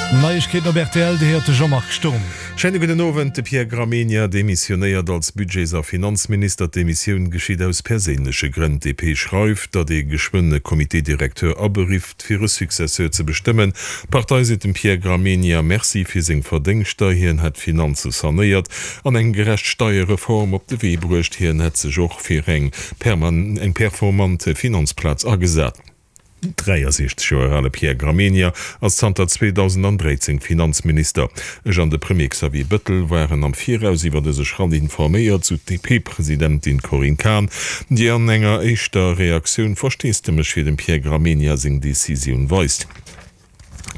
Neiegkeeten op rtl, déi héiert de Jean-Marc Sturm. Schéine gudden Owend. De Pierre Gramegna demissionéiert als Budgets a Finanzminister. D'Demissioun geschitt aus perséinleche Grënn. D'DP schreift, datt ee geschwënn e Comité directeur aberifft, fir e Successeur ze bestëmmen. D'Partei seet dem Pierre Gramegna Merci fir seng Verdéngschter. Hien hätt d'Finanze sanéiert an eng gerecht Steierreform op de Wee bruecht. Hien hätt sech och fir eng performant Finanzplaz agesat. Den 63 Joer ale Pierre Gramegna ass zanter 2013 Finanzminister. Ech an de Premier Xavier Bëttel waren am Viraus iwwer dëse Schratt informéiert, sou d'DP-Presidentin Corinne Cahen, déi an enger éischter Reaktioun Versteesdemech fir dem Pierre Gramegna seng Decisioun weist.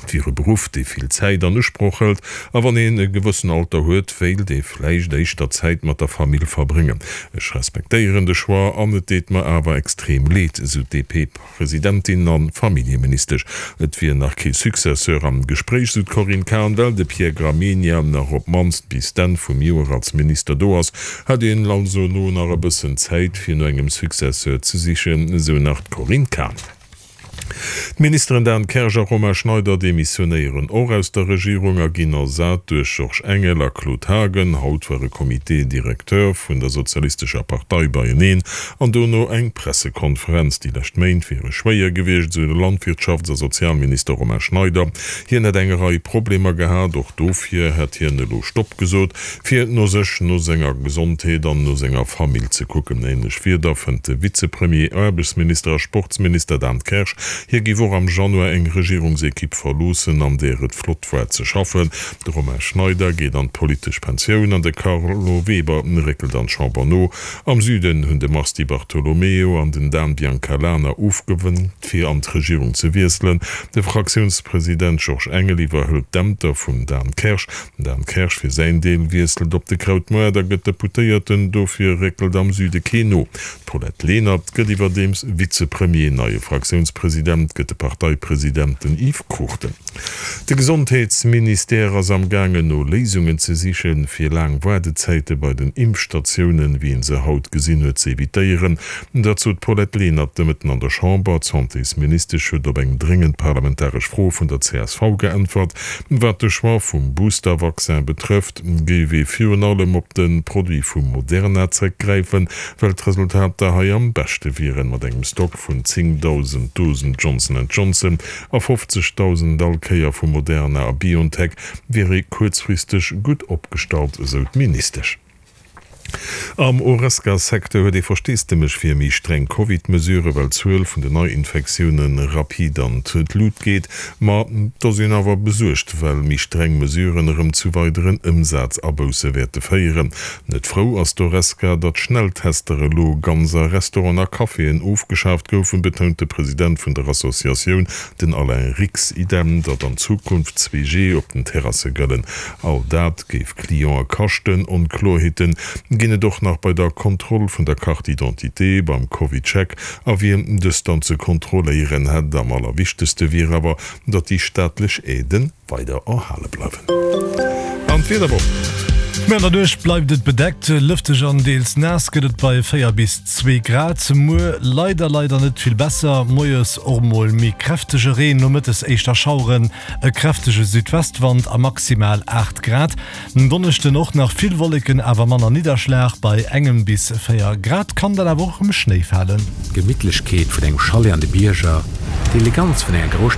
Et wier e Beruff, dee vill Zäit an Usproch hëlt, a wann een e gewëssen Alter huet, wéilt ee vläicht éischter Zäit mat der Famill verbréngen. Ech respektéieren de Choix an et deet mer awer extrem leed, sou d'DP-Presidentin a Familljeministesch. Et wier nach kee Successeur am Gespréich, sou d'Corinne Cahen, well de Pierre Gramegna nach op d'mannst bis d'Enn vum Joer als Minister do ass. Hätt een also elo nach e bëssen Zäit, fir no engem Successeur ze sichen, sou nach d'Corinne Cahen. D'Ministeren Dan Kersch a Romain Schneider demissionéieren och aus der Regierung a ginn ersat duerch Georges Engel a Claude Haagen. Haut war e Comité directeur vun der Sozialistescher Partei beieneen an dono eng Pressekonferenz. Déi lescht Méint wiere schwéier gewiescht, esou de Landwirtschafts a Sozialminister Romain Schneider. Hien hätt eng Rei Problemer gehat, och dofir hätt hien elo Stopp gesot. Fir no sech, no senger Gesondheet an no senger Famill ze kucken. Ähnlech Wierder fënnt de Vizepremier, Aarbechtsminister a Sportsminister Dan Kersch. Hie géif och am Januar eng Regierungsekipp verloossen, an där et flott war ze schaffen. De Romain Schneider geet an d'politesch Pensioun an de Carlo Weber réckelt an d'Chamber no. Am Süden hunn de Mars Di Bartolomeo an den Dan Biancalana ofgewénkt, fir an d'Regierung ze wiesselen. De Fraktiounspresident Georges Engel iwwerhëlt d'Ämter vum Dan Kersch. Den Dan Kersch fir säin Deel wiesselt op de Krautmoart a gëtt Deputéierten, dofir réckelt am Süde keen no. D'Paulette Lenert gëtt iwwerdeems Vizepremier. Neie Fraktiounspresident gëtt de Parteipresident, den Yves Cruchten. De Gesondheetsministère ass am gaangen no Léisungen ze sichen, fir laang Waardezäite bei den Impfstatiounen, wéi een se haut gesinn huet, ze evitéieren. Dat sot d'Paulette Lenert de Mëtten an der Chamber. D'Santésministesch huet op eng dréngend parlamentaresch Fro vun der csv geäntwert. Wat de Choix vum Booster-Vaccin betrëfft, géif ee virun allem op de Produit vu Moderna zréckgräifen, well d'Resultater hei am beschte wieren. Mat engem Stock vun 10.000 Dosen Johnson and Johnson a 50.000 all Kéier vu Moderna a BioNTech wier ee kuerzfristeg gutt opgestallt, esou d'Ministesch. Am Horesca-Secteur huet ee Versteesdemech fir méi streng Covid-Mesuren, well d'Zuel vun den Neiinfektioune rapid an d'Lut geet. Ma et ass een awer besuergt, well méi streng Mesuren erëm zu weideren Ëmsazabousse wäerte féieren. Net frou ass d'Horesca, datt Schnelltester elo ganz a Restauranten a Caféen ofgeschaaft goufen, betount de President vun der Associatioun, den Alain Rix. Idem, datt an Zukunft 2G op den Terrasse gëllen. All dat géif Clientë kaschten. Onkloerheete ginn et och nach bei der Kontroll vun der Carte d'identité, beim CovidCheck a wien dës dann ze kontrolléieren hätt. Am allerwichtegste wier awer, datt déi staatlech Aiden weider erhale bleiwen. An d'Wiederwoch. Méi an der Nuecht bleift et bedeckt, lëfteg an deels naass gëtt et bei 4 bis 2 Grad. Muer leider leider net vill besser, moies och mol méi kräftege Reen, nomëttes éischter Schaueren. E kräftege Südwestwand a maximal 8 Grad. En Donneschden och nach vill Wolleken, awer manner Nidderschlag, bei engem bis 4 Grad kann dann awer och erëm Schnéi falen. D'Gemittlechkeet vun engem Chalet an de Bierger, d'Eleganz vun enger Grousstad.